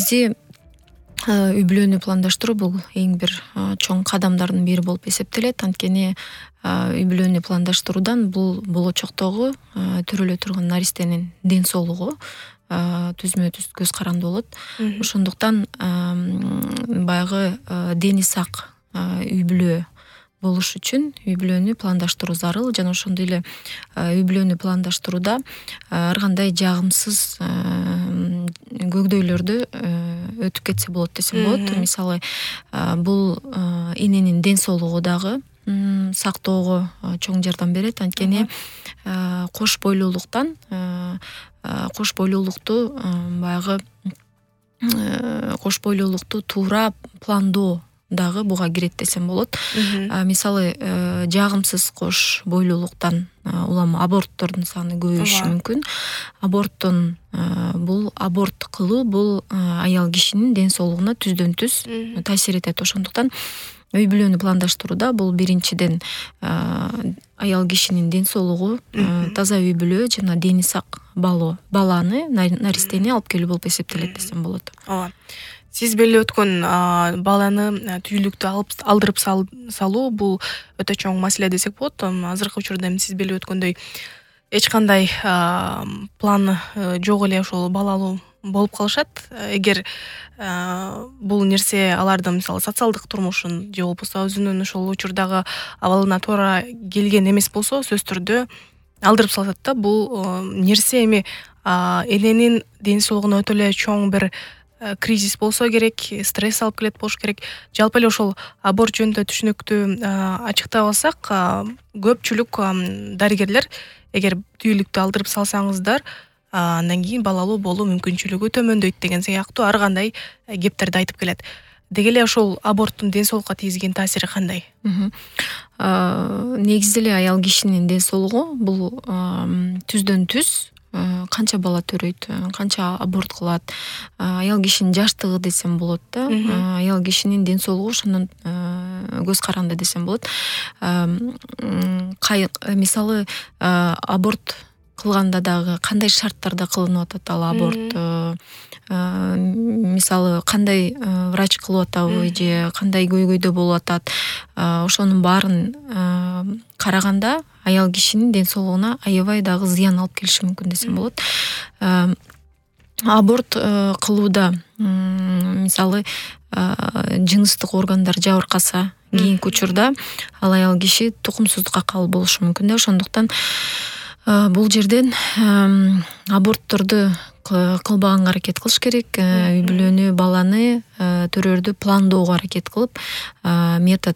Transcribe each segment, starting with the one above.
негизи үй бүлөнү пландаштыруу бул эң бир чоң кадамдардын бири болуп эсептелет. Анткени үй бүлөнү пландаштыруудан бул болочоктогу төрөлө турган наристенин ден соолугу түзмө түз көз каранды болот. Ошондуктан баягы дени сак үй бүлө болуш үчүн үй бүлөнү пландаштыруу зарыл. Жана ошондой эле үй бүлөнү пландаштырууда ар кандай жагымсыз көйгөйлөрдү өтүп кетсе болот десем болот. Мисалы, бул эненин ден соолугу дагы сактоого чоң жардам берет. Анткени кош бойлуулуктан кош бойлуулукту туура пландоо дагы буга кирет десем болот. Мисалы, жагымсыз кош бойлуулуктан улам аборттордун саны көбөйүшү мүмкүн. Аборт кылуу бул аял кишинин ден соолугуна түздөн түз таасир этет. Ошондуктан үй бүлөнү пландаштырууда бул биринчиден аял кишинин ден соолугу, таза үй бүлө жана дени сак баланы, наристени алып келүү болуп эсептелет десем болот. Ооба. Сиз беле өткөн баланы түйүлүктү алдырып салуу бул өтө чоң маселе десек болот. Азыркы учурда сиз беле өткөндөй эч кандай план жок эле ошол балалуу болуп калышат. Эгер бул нерсе алардын мисалы социалдык турмушун же болбосо өзүнүн ошол учурдагы абалына туура келген эмес болсо, сөзсүз түрдө алдырып салышат да. Бул нерсе эми эненин ден соолугуна өтө эле чоң бир кризис болсо керек, стресс алып келет болуш керек. Жалпы эле ошол аборт жөнүндө түшүнүктүү ачыктап алсак, көпчүлүк дарыгерлер эгер түйүлүктү алдырып салсаңыздар, андан кийин балалуу болуу мүмкүнчүлүгү төмөндөйт деген сыяктуу ар кандай кептерди айтып келет. Деги эле ошол аборттун ден соолукка тийгизген таасири кандай? Негизи эле аял кишинин ден соолугу бул түздөн түз канча бала төрөйт, канча аборт кылат, аял кишинин жаштыгы десем болот да. Аял кишинин ден соолугу ошондон көз каранды десем болот. Мисалы, аборт кылганда дагы кандай шарттарда кылынып атат ал аборт, мисалы кандай врач кылып атабы же кандай көйгөйдө болуп атат, ошонун баарын караганда аял кишинин ден соолугуна аябай дагы зыян алып келиши мүмкүн десем болот. Аборт кылууда мисалы жыныстык органдар жабыркаса, кийинки учурда ал аял киши тукумсуздукка кабыл болушу мүмкүн да. Ошондуктан бул жерден абортторду кылбаганга аракет кылыш керек. Үй бүлөнү, баланы төрөрдү пландоого аракет кылып, метод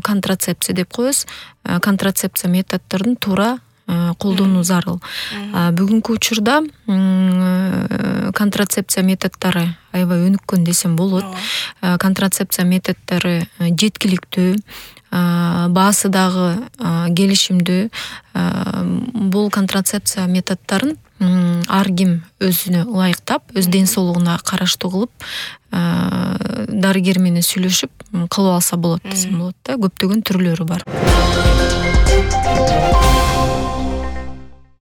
контрацепция деп коебуз. Контрацепция методдорун туура колдонуу зарыл. Бүгүнкү учурда контрацепция методдору аябай өнүккөн десем болот. Контрацепция методдору жеткиликтүү, баасы дагы келишимдүү. Бул контрацепция методдорун ар ким өзүнө ылайыктап, өз ден соолугуна караштуу кылып, дарыгер менен сүйлөшүп кылып алса болот десем болот да. Көптөгөн түрлөрү бар.